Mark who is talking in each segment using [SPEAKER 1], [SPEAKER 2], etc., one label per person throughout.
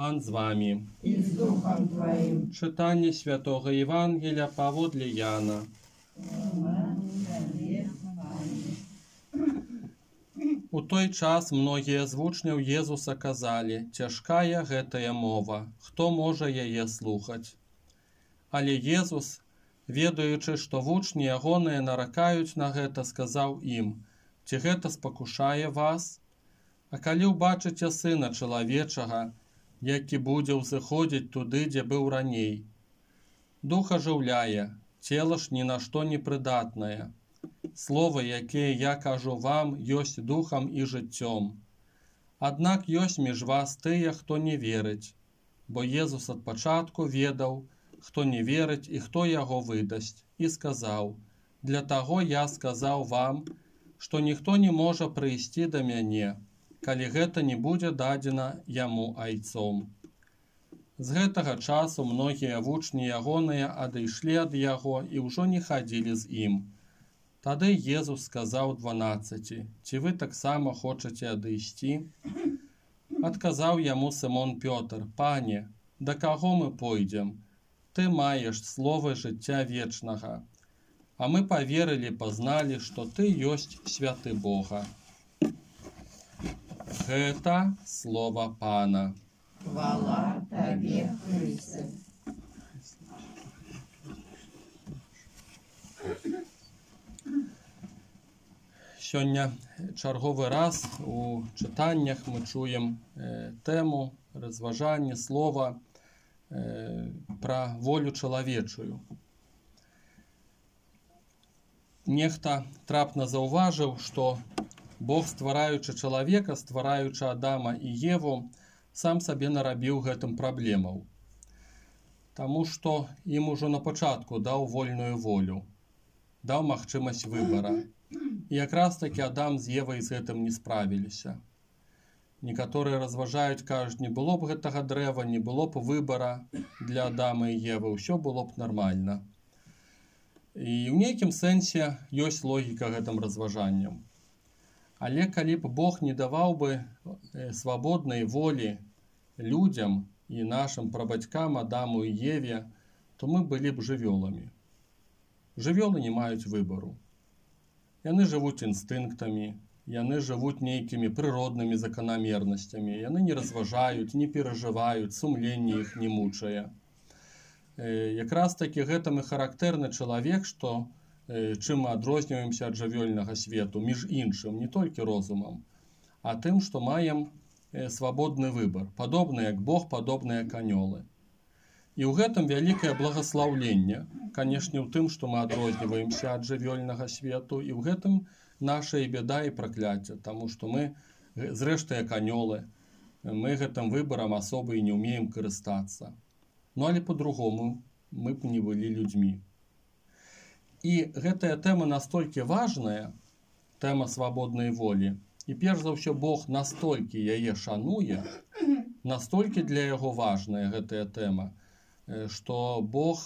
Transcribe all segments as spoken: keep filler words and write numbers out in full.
[SPEAKER 1] Пан з вами.
[SPEAKER 2] И с Духом Твоим.
[SPEAKER 1] Читання Святого Євангелія паводле Яна. У той час многія з вучняў Езуса казалі: «Цяжкая гэтая мова, хто можа яе слухаць?» Але Езус, ведаючы, што вучні ягоныя наракаюць на гэта, сказаў ім: «Ці гэта спакушае вас? А калі ўбачыце Сына Чалавечага, які будзе ўзыходзіць туды, дзе быў раней? Дух ажыўляе, цела ж ні на што не прыдатнае. Словы, якія я кажу вам, ёсць духам і жыццём. Аднак ёсць між вас тыя, хто не верыць, бо Езус ад пачатку ведаў, хто не верыць і хто яго выдасць, і сказаў: «Для таго я сказаў вам, што ніхто не можа прыйсці да мяне, калі гэта не будзе дадзена яму айцом». З гэтага часу многія вучні ягоныя адышлі ад яго і ўжо не хадзілі з ім. Тады Езус сказаў дванаццаці: «Ці вы таксама хочаце адысці?» Адказаў яму Сымон Пётр: «Пане, да каго мы пойдзем? Ты маеш словы жыцця вечнага. А мы паверылі, пазналі, што ты ёсць святы Бога». Гэта слова Пана.
[SPEAKER 2] Хвала Табе, Христе.
[SPEAKER 1] Сёння чарговы раз у чытаннях мы чуем э, тэму, разважанне, слова э, пра волю чалавечую. Нехта трапна заўважыў, што Бог, ствараючы чалавека, ствараючы Адама і Еву, сам сабе нарабіў гэтым праблемаў. Таму што ім ужо на пачатку даў вольную волю, даў магчымасць выбара. І якраз такі Адам з Евай з гэтым не справіліся. Некаторыя разважаюць, кажуць, не было б гэтага дрэва, не было б выбара для Адама і Евы, ўсё было б нармальна. І ў нейкім сэнсе ёсць логіка гэтым разважанням. Але калі б Бог не даваў бы свабоднай волі людзям і нашым прабацькам Адаму і Еве, то мы былі б жывёламі. Жывёлы не маюць выбару. Яны жывуць інстынктамі, яны жывуць нейкімі прыроднымі заканамернасцямі, яны не разважаюць, не перажываюць, сумленне іх не мучае. Якраз такі гэтым і характэрны чалавек, што чым мы адрозніваемся ад жывёльнага свету, між іншым, не толькі розумам, а тым, што маем свабодны выбар, падобны як Бог, падобны як анёлы. І ў гэтым вялікае благаслаўленне, канешне, ў тым, што мы адрозніваемся ад жывёльнага свету, і ў гэтым наша і бяда і пракляцце, таму што мы, зрэшты, як анёлы, мы гэтым выбарам асобы і не ўмеем карыстацца. Ну, але по-другому мы б не былі людзьмі. І гэтая тэма настолькі важная, тэма свабоднай волі, і перш за ўсё Бог настолькі яе шануе, настолькі для яго важная гэтая тэма, што Бог,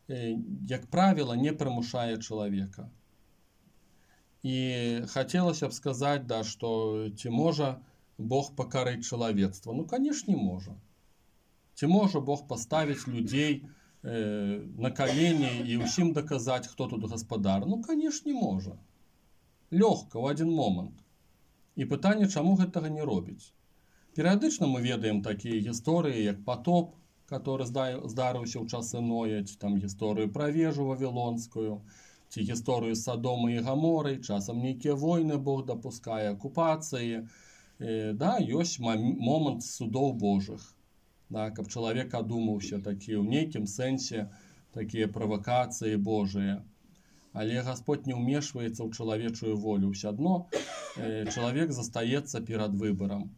[SPEAKER 1] як правіла, не прымушае чалавека. І хацелася б сказаць, да, што ці можа Бог пакарыць чалавецтва? Ну, канешне, можа. Ці можа Бог паставіць людзей э, на калені і ўсім даказаць, хто тут гаспадар? Ну, канешне, можа. Лёгка, ў адзін момант. І пытанне, чаму гэтага не робіць? Перыядычна мы ведаем такія гісторыі, як патоп, который здарыўся ў часы Ноя, ці там гісторыю пра вежу вавілонскую, ці гісторыю з Садомай і Гаморай, часам нейкія войны Бог дапускае, акупацыі. Э, да, ёсць момант судоў Божых. Да, каб чалавек адумаўся, такі ў нейкім сэнсе такія правакацыі Божыя. Але Гасподь не ўмешваецца ў чалавечую волю. Ўсё адно э, чалавек застаецца перад выбарам.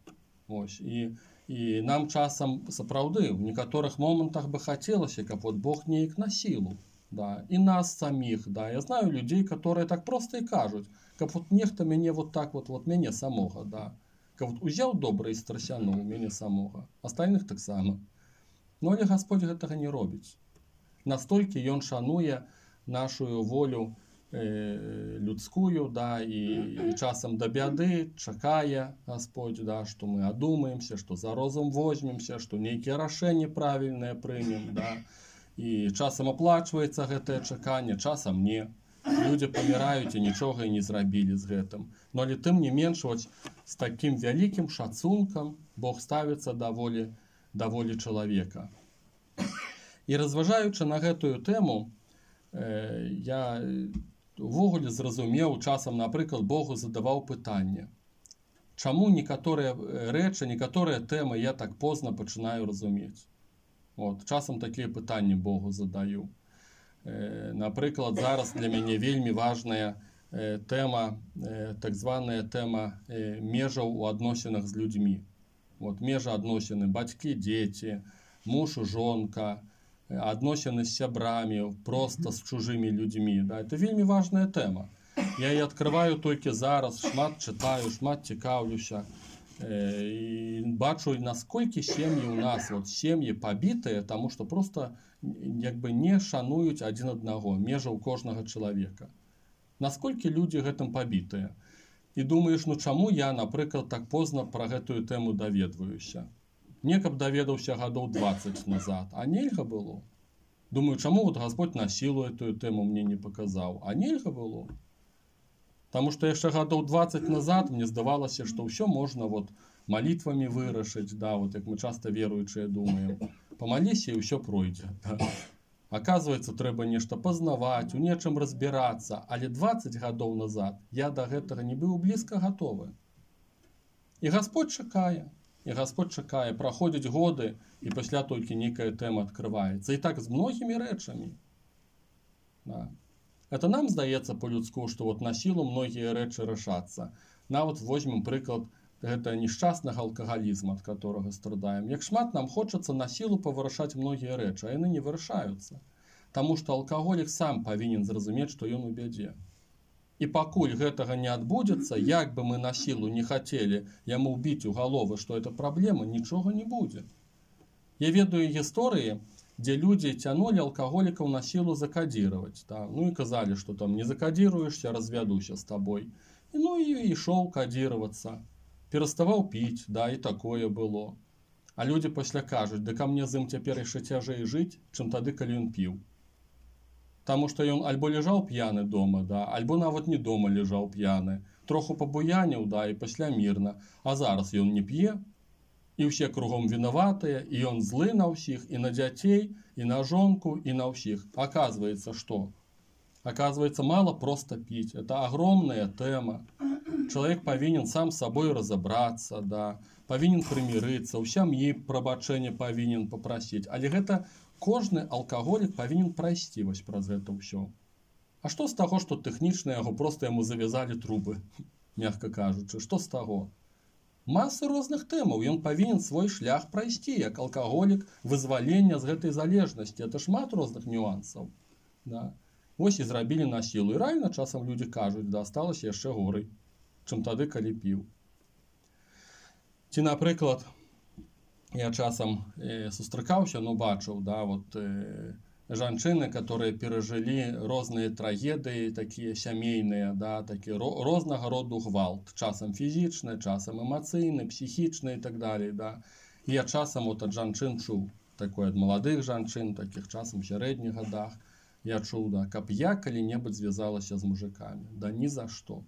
[SPEAKER 1] Ось. І, і нам часам сапраўды ў некаторых момантах бы хацелася, каб вот Бог неяк на сілу. Да, і нас саміх. Да. Я знаю людзей, которые так проста і кажуць, каб вот нехта мяне вот так вот, вот мяне самога, да. Каб вот узяў добра і страсянуў мяне самога, астальных таксама. Ну, але Гасподь гэтага не робіць. Настолькі ён шануе нашу волю э, людскую, да, и, и часом до бяды чакае Господь, да, что мы одумаемся, что за розум возьмемся, что некие рашэнні правильные примем, да, и часом оплачивается гэтае чаканне, часом не. Люди паміраюць і нічога і не зрабілі з гэтым. Но але тым не менш, вось, з таким вялікім шацункам Бог ставіцца да волі, да волі чалавека. І разважаючы на гэтую тэму, э, я увогуле зразумеў, часам, напрыклад, Богу задаваў пытанне. Чаму некаторыя рэчы, некаторыя тэмы я так позна пачынаю разумець? Вот, часам такія пытанні Богу задаю. Э, напрыклад, зараз для мяне вельмі важная э, тэма, э, так званая тэма э, межаў у адносінах з людзьмі. Вот, межа адносіны бацькі, дзеці, муж і жонка, адносіны з сябрамі, просто з чужымі людзьмі. Да? Это вельмі важная тэма. Я її адкрываю толькі зараз, шмат чытаю, шмат цікаўлюся. І бачу, наскільки сім'ї у нас, от, сім'ї побитые, тому що просто якби не шанують один одного, межа у кожного чоловіка. Наскільки люди гэтым побитые. І думаєш, ну чому я, наприклад, так позно про гэтую тему даведваюся? Не каб даведаўся гадоў двадцать назад, а нельга было. Думаю, чому вот Господь на силу эту тему мне не показал, а нельга было. Потому что яшчэ гадоў двадцать назад мне здавалася, что все можно вот молитвами вырашыць, да, вот як мы часто веруючыя думаем. Помолися и все пройдет. Да. Оказывается, трэба нешта пазнаваць, у нечым разбираться, але двадцать гадоў назад я до гэтага не быў близко готовы. И Господь чакае, и Господь чакае, праходзяць годы, и пасля толькі некая тэма открывается. И так з многими рэчамі. Да. Это нам здаецца по-людску, что вот на силу многие рэчы рашацца. Нават возьмем прыклад гэта несчастнага алкагалізма, ад которого страдаем. Як шмат нам хочацца на силу павырашаць многія рэчы, а яны не вырашаюцца. Таму што алкаголік сам павінен зразумець, што ён у бядзе. І пакуль гэтага не адбудзецца, як бы мы на силу не хацелі яму ўбіць у галовы, што это праблема, нічога не будзе. Я ведаю гісторыі, где люди тянули алкоголиков на силу закодировать. Да? Ну и казали, что там не закодируешься, разведуся с тобой. И, ну и, и шел кодироваться. Переставал пить, да, и такое было. А люди после кажут, да ко мне з ім цяпер яшчэ цяжэй жыць, чым тады, калі ён піў. Таму што ён альбо лежаў п'яны дома, да, альбо нават не дома лежаў п'яны. Троху пабуяніў, да, і пасля мірна. А зараз ён не п'е, і ўсе кругом вінаватыя, і ён злы на ўсіх, і на дзяцей, і на жонку, і на ўсіх. Оказывается, что? Оказывается, мало просто пить. Это огромная тема. Человек повинен сам с собой разобраться, да, повинен примириться, у сям'і прабачэння повинен попросить. Але гэта кожны алкаголік повинен прайсці вось праз гэта ўсё. А что с того, что тэхнічна яго просто яму завязали трубы, мягко кажучы, что с того? Масы розных тэмаў, ён павінен свой шлях прайсці, як алкаголік, вызвалення з гэтай залежнасці. Это шмат розных нюансаў. Да. Вось і зрабілі на сілу. І рэальна часам людзі кажуць, да, асталася яшчэ горай, чым тады, калі піў. Ці, напрыклад, я часам э, сустракаўся, ну, бачыў, да, вот, э, жанчыны, которые перажылі розныя трагедыі, такія сямейныя, да, такі рознага роду гвалт, часам фізічны, часам эмацыйны, псіхічны і так далей, да. І я часам вот ад жанчын чуў, такое ад маладых жанчын, такіх часам в сярэдніх гадах, я чуў, да, каб я калі-небудзь звязалася з мужикамі, да ні за што.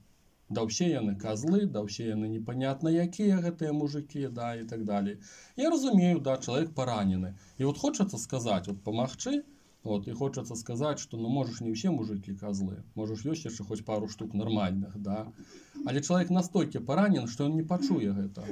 [SPEAKER 1] Да ўсе яны козлы, да ўсе яны непонятна якія гэтыя мужики, да, і так далей. Я разумею, да, чалавек паранены. І вот хочацца сказаць, вот памагчы, вот, и хочется сказать, что ну можешь не все мужики козлы, можешь ёсць яшчэ хоть пару штук нормальных, да. Але человек настолько поранен, что он не пачуе гэта.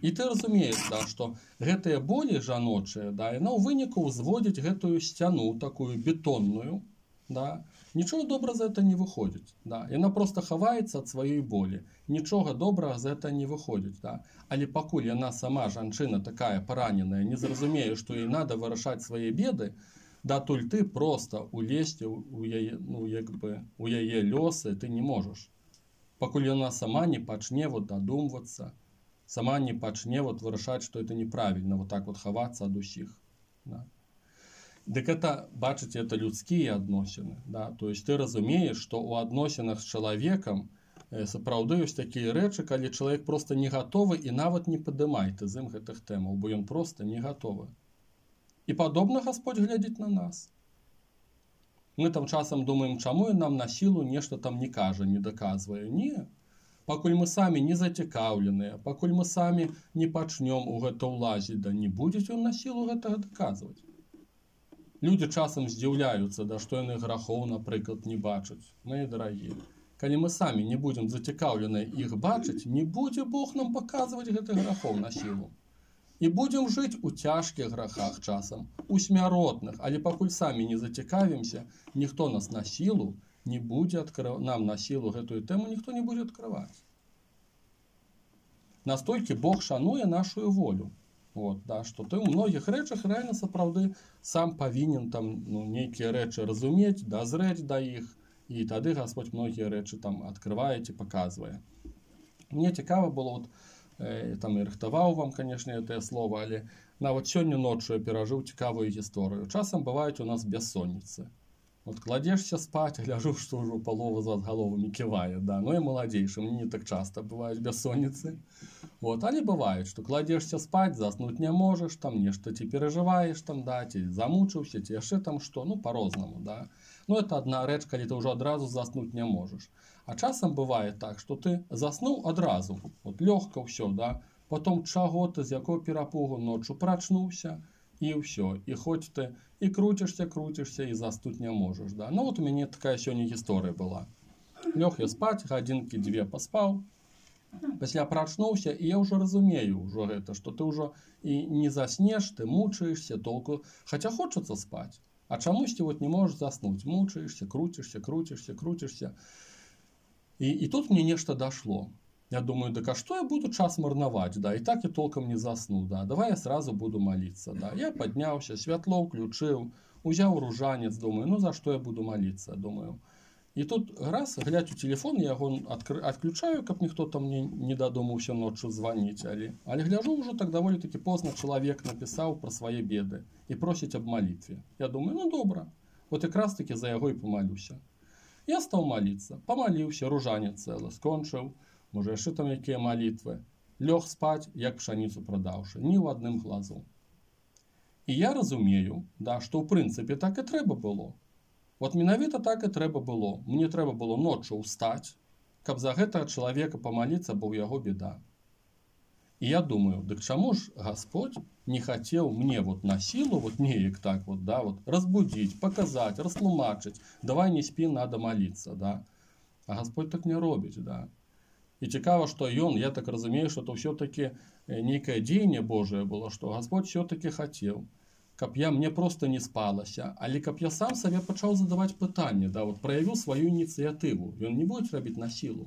[SPEAKER 1] И ты разумеешь, да, что гэтыя болі жаночыя, да, яна ў выніку ўзводзіць гэтую сцяну такую бетонную, да. Нічого добра за это не выходзіць, да. Яна просто хаваецца ад сваёй болі. Нічога добрага за это не выходзіць, да. Але пакуль яна сама жанчына такая параненая, не зразумее, што ёй надо вырашаць свае беды, да толь ты просто улезці у яе, ну, як бы, у яе лёсы ты не можаш. Пакуль яна сама не пачне вот дадумвацца, сама не пачне вот вырашаць, што это неправільна, вот так вот хавацца ад усіх. Да. Дык это, бачыце, это людскія адносіны. Да? То есть ты разумееш, што ў адносінах з чалавекам сапраўды ёсць такія рэчы, калі чалавек проста не гатовы і нават не падымай ты з ім гэтых тэмаў, бо ён проста не гатовы. І падобна Гасподзь глядзіць на нас. Мы там часам думаем, чаму ён нам на сілу нешта там не кажа, не даказвае. Не. Пакуль мы самі не зацікаўленыя, пакуль мы самі не пачнём у гэта ўлазіць, да не будзе ён на сілу гэтага даказваць. Людзі часам здзіўляюцца, да што яны грахоў, напрыклад, не бачаць. Мае дарагія, калі мы самі не будзем зацікаўленыя іх бачыць, не будзе Бог нам паказваць гэтых грахоў на сілу. І будзем жыць у цяжкіх грахах часам, у смяротных, але пакуль самі не зацікавімся, ніхто нас на сілу не будзе адкрыв... нам на сілу гэтую тэму ніхто не будзе адкрываць. Настолькі Бог шануе нашу волю. Вот, да, што ты ў многіх рэчах рэальна сапраўды сам павінен там ну, нейкія рэчы разумець, дазрэць да іх, і тады Гасподь многія рэчы там адкрывае ці паказвае. Мне цікава было, вот, э, там і рыхтаваў вам, канешне, гэтае слова, але нават сёння ноччу я перажыў цікавую гісторыю. Часам бываюць у нас бессонніцы. Вот кладзешся спаць, гляжу, што ўжо палова з вас галовамі ківае, да, ну і маладзейшым, не так часта бываюць бессонніцы. Вот, але бывает, што кладзешся спаць, заснуць не можаш, там нешта ці перажываеш, там, да, ці замучыўся, ці яшчэ там што, ну, па-рознаму, да. Ну, это адна рэч, калі ты ўжо адразу заснуць не можаш. А часам бывае так, што ты заснуў адразу, вот лёгка ўсё, да, потом чаго ты, з якого перапугу ноччу прачнуўся, і ўсё, і хоць ты і круцішся, круцішся, і заснуць не можаш, да. Ну, вот у мяне такая сёння гісторыя была. Лёг я спаць, гадзінкі дзве паспаў, пасля прачнуўся, і я ўжо разумею ўжо гэта, што ты ўжо і не заснеш, ты мучаешся толку, хаця хочацца спаць, а чамусьці вот не можаш заснуць, мучаешся, круцішся, круцішся, круцішся. І, і тут мне нешта дашло. Я думаю, так а что я буду час марнаваць, да, і так я толком не засну, да, давай я сразу буду молиться, да. Я подняўся, святло ўключыў, узяў ружанец, думаю, ну за что я буду молиться, думаю. І тут раз, глядь у телефон, я яго адключаю, каб ніхто там мне не дадумаўся ноччу званіць, але, але гляжу, ўжо так даволі таки позна чалавек напісаў пра свае беды і просіць аб малітве. Я думаю, ну добра, вот якраз таки за яго і помалюся. Я стаў молиться, помаліўся, ружанец цэлы, скончыў, можа яшчэ там якія малітвы, лёг спаць, як пшаніцу прадаўшы, ні ў адным глазу. І я разумею, да, што ў прынцыпе так і трэба было. Вот менавіта так і трэба было. Мне трэба было ноччу ўстаць, каб за гэтага чалавека памаліцца, бо ў яго беда. І я думаю, дык чаму ж Гасподь не хацеў мне вот на сілу, вот неяк так вот, да, вот разбудзіць, паказаць, растлумачыць, давай не спі, надо маліцца, да. А Гасподь так не робіць, да. І цікава, што ён, я так разумею, што то ўсё-такі нейкае дзеянне Божае было, што Гасподь ўсё-такі хацеў, каб я мне проста не спалася, але каб я сам сабе пачаў задаваць пытанне, да, вот праявіў сваю ініцыятыву, ён не будзе рабіць на сілу.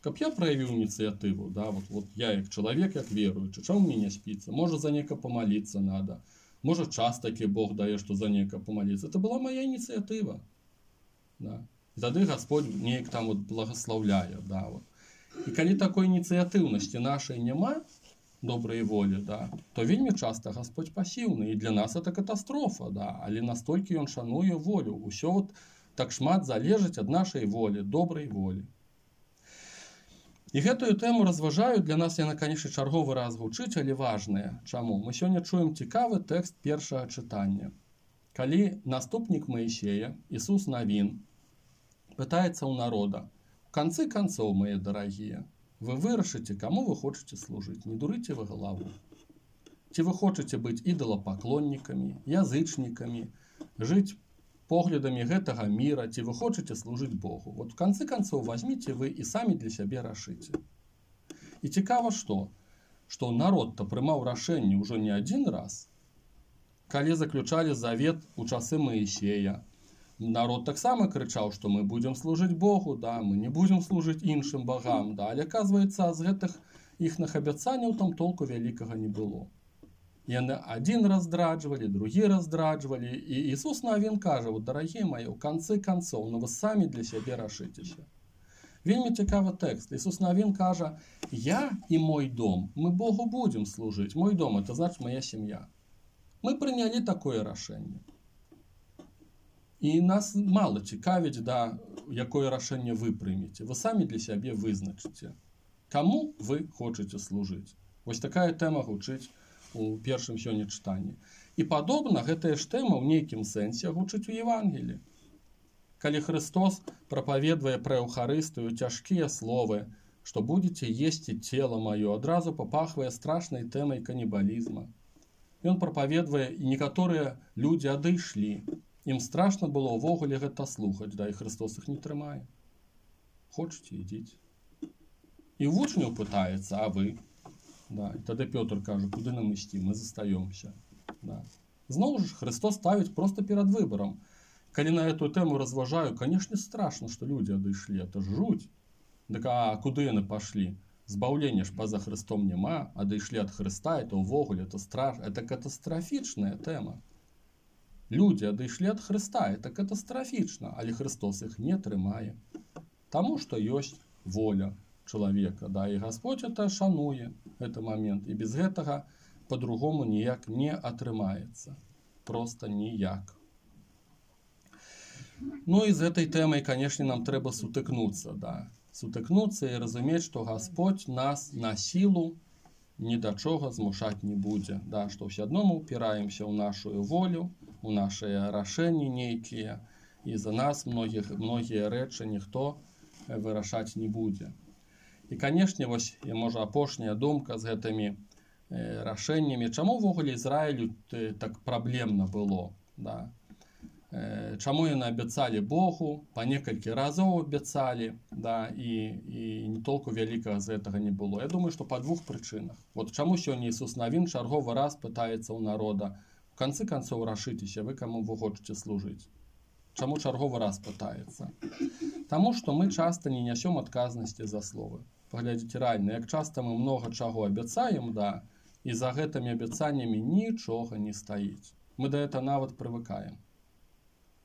[SPEAKER 1] Каб я праявіў ініцыятыву, да, вот, вот я як чалавек, як веруючы, чаму мне не спіцца? Можа за нека помаліцца надо, можа час такі Бог дае, што за нека помаліцца. Это была моя ініцыятыва, да. І тады Гасподь неяк там вот благословляе, да, вот. І калі такой ініцыятыўнасці нашай няма, добрай волі, да, то вельмі часта Гасподь пасіўны, і для нас это катастрофа, да, але настолькі ён шануе волю. Усё вот так шмат залежыць ад нашай волі, добрай волі. І гэтую тэму разважаю, для нас яна, канешне, чарговы раз гучыць, але важная. Чаму? Мы сёння чуем цікавы тэкст першага чытання. Калі наступнік Маісея, Ісус Навін, пытаецца ў народа: в конце концов, мои дорогие, вы вырашыце, кому вы хочаце служыць, не дурыце вы галаву. Ці вы хочаце быць ідалапаклоннікамі, язычнікамі, жыць поглядамі гэтага мира, ці вы хочаце служыць Богу. Вот в конце концов возьмите вы і самі для сябе рашыце. І цікава што, што народ-то прымаў рашэнне ўжо не адзін раз, калі заключалі завет у часы Маісея. Народ таксама крычаў, што мы будзем служыць Богу, да, мы не будзем служыць іншым богам, да, але аказваецца, з гэтых іхных абяцанняў там толку вялікага не было. Яны адзін раз здраджвалі, другі раз здраджвалі, і Ісус Навін кажа: вот, дарагія мои, у канцы канцоў, ну вы самі для сябе рашыцеся. Вельмі цікавы тэкст. Ісус Навін кажа: я і мой дом, мы Богу будзем служыць. Мой дом, это значит моя сям'я. Мы прынялі такое рашэнне. І нас мало цікавіць, да, якое рашэнне вы прымеце. Вы самі для сябе вызначыце, каму вы хочаце служыць. Вось такая тэма гучыць у першым сёння чытанні. І падобна гэтая ж тэма ў нейкім сэнсе гучыць у Евангеліі. Калі Христос прапаведвае пра Еўхарыстыю цяжкія словы, што будзеце есці цела маё, адразу папахвае страшнай тэмай канібалізма. Ён прапаведвае, і некаторыя людзі адышлі. Ім страшна было ўвогуле гэта слухаць, да, і Христос іх не трымае. Хочаце, ідзіце. І вучняў пытаецца, а вы? Да, і тады Пётр кажа, куды нам ісці, мы застаёмся. Да. Зноў ж Христос ставіць проста перад выбарам. Калі на эту тэму разважаю, канешне, страшна, што людзі адышлі, это ж жуть. Дык а куды яны пашлі? Збаўлення ж па-за Христом няма, адышлі ад Христа, это ўвогуле, это страш, это катастрафічная тэма. Людзі адышлі ад Христа, это катастрафічна, але Христос іх не трымае. Таму што ёсць воля чалавека, да, і Господь это шануе, гэты момент, і без гэтага по-другому ніяк не атрымаецца. Проста ніяк. Ну і з гэтай тэмай, канешне, нам трэба сутыкнуцца, да. Сутыкнуцца і разумець, што Господь нас на сілу ні да чога змушаць не будзе, да, што ўсё адно мы ўпіраемся ў нашу волю, у нашыя рашэнні нейкія, і за нас многіх, многія рэчы ніхто вырашаць не будзе. І, канешне, вось, можа, апошняя думка з гэтымі э, рашэннямі, чаму ўвогуле Ізраілю так праблемна было, да? Э, чаму яны абяцалі Богу, па некалькі разоў абяцалі, да, і, і не толку вялікага з гэтага не было. Я думаю, што па двух прычынах. Вот чаму сёння Ісус Навін чарговы раз пытаецца ў народа, в канцы канцоў рашыцеся, вы каму вы хочаце служыць. Чаму чарговы раз пытаецца? Таму што мы часта не нясём адказнасці за словы. Паглядзіце рэальна, як часта мы многа чаго абяцаем, да, і за гэтымі абяцаннямі нічога не стаіць. Мы да гэта нават прывыкаем.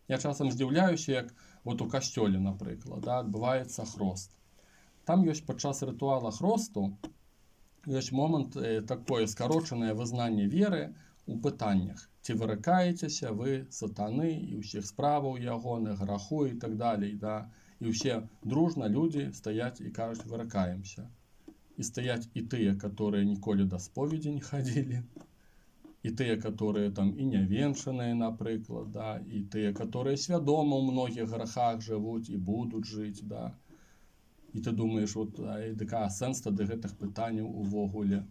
[SPEAKER 1] Я часам здзіўляюся, як вот у касцёле, напрыклад, да, адбываецца хрост. Там ёсць падчас рытуала хросту, ёсць момант э, такое скарочанае вызнанне веры у пытаннях. Ці выракаецеся вы сатаны і ўсіх справаў ягоных, граху і так далей, да. І ўсе дружна людзі стаяць і кажуць, выракаемся. І стаяць і тыя, которые ніколі да споведзі не хадзілі, і тыя, которые там і нявенчаныя, напрыклад, да, і тыя, которые свядома ў многіх грахах жывуць і будуць жыць, да. І ты думаеш, вот, а, а сэнс тады гэтых пытанняў увогуле.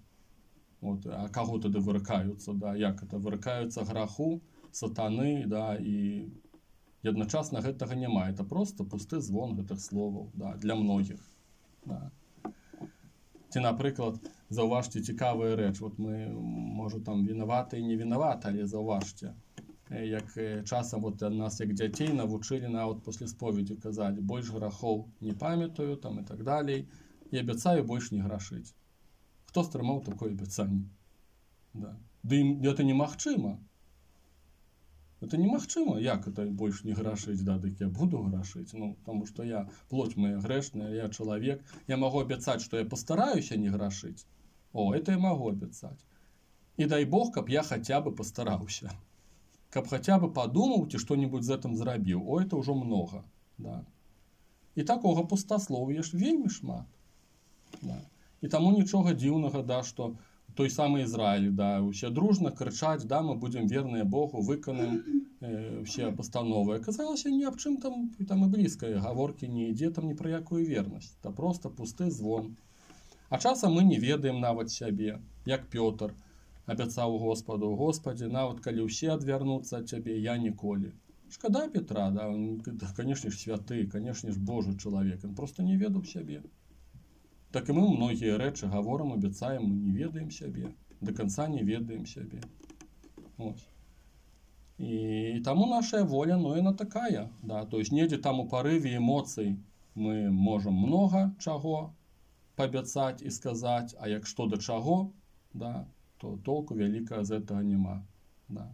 [SPEAKER 1] Вот, а каго тады выракаюцца, да, як это выракаюцца граху, сатаны, да, і і адначасна гэтага няма. Это просто пусты звон гэтых словаў, да, для многіх. Да. Ці, напрыклад, заўважце цікавая рэч. Вот мы, можа, там вінаваты і не вінаваты, але заўважце, як часам вот нас, як дзяцей, навучылі нават пасля споведзі казалі, больш грахоў не памятаю, там і так далей, і абяцаю больш не грашыць. Хто стрымаў такое абяцанне? Да. Ды это немагчыма. Это немагчыма, як это больш не грашыць, да, дык я буду грашыць, ну, таму што я, плоть моя грэшная, я чалавек, я магу абяцаць, што я пастараюся не грашыць. О, это я магу абяцаць. І дай Бог, каб я хаця бы пастараўся. Каб хаця бы падумаў, ці што-небудзь з гэтым зрабіў. О, это ўжо многа, да. І такога пустаслов'я ж вельмі шмат. Да. І таму нічога дзіўнага, да, што той самы Ізраіль, да, усе дружна крычаць, да, мы будзем верныя Богу, выканаем э, ўсе пастановы. Аказалася, ні аб чым там, там і блізкай гаворкі не ідзе, там ні пра якую вернасць. Это просто пусты звон. А часам мы не ведаем нават сябе, як Пётр абяцаў Господу, Господі, нават калі ўсе адвярнуцца ад цябе, я ніколі. Шкада Петра, да, он, канешне ж, святы, канешне ж, Божы чалавек, ён просто не ведаў сябе. Так і мы многія рэчы гаворам, абяцаем, мы не ведаем сябе, да канца не ведаем сябе. Ось. І таму нашая воля, ну, яна такая, да, то есть недзе там у парыве эмоцый мы можам многа чаго паабяцаць і сказаць, а як што да чаго, да, то толку вялікага з гэтага няма, да.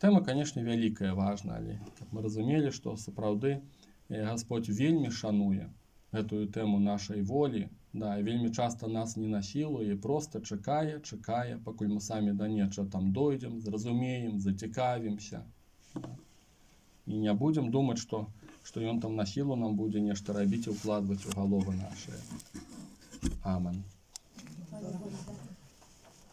[SPEAKER 1] Тэма, канешне, вялікая, важная, але каб мы разумелі, што сапраўды Господь вельмі шануе гэтую тэму нашай волі, да, і вельмі часта нас не насілуе, просто чакае, чакае, пакуль мы самі да нечага там дойдзем, зразумеем, зацікавімся. Да. і не будзем думаць, што што ён там на сілу нам будзе нешта рабіць і ўкладваць у галовы нашыя. Аман.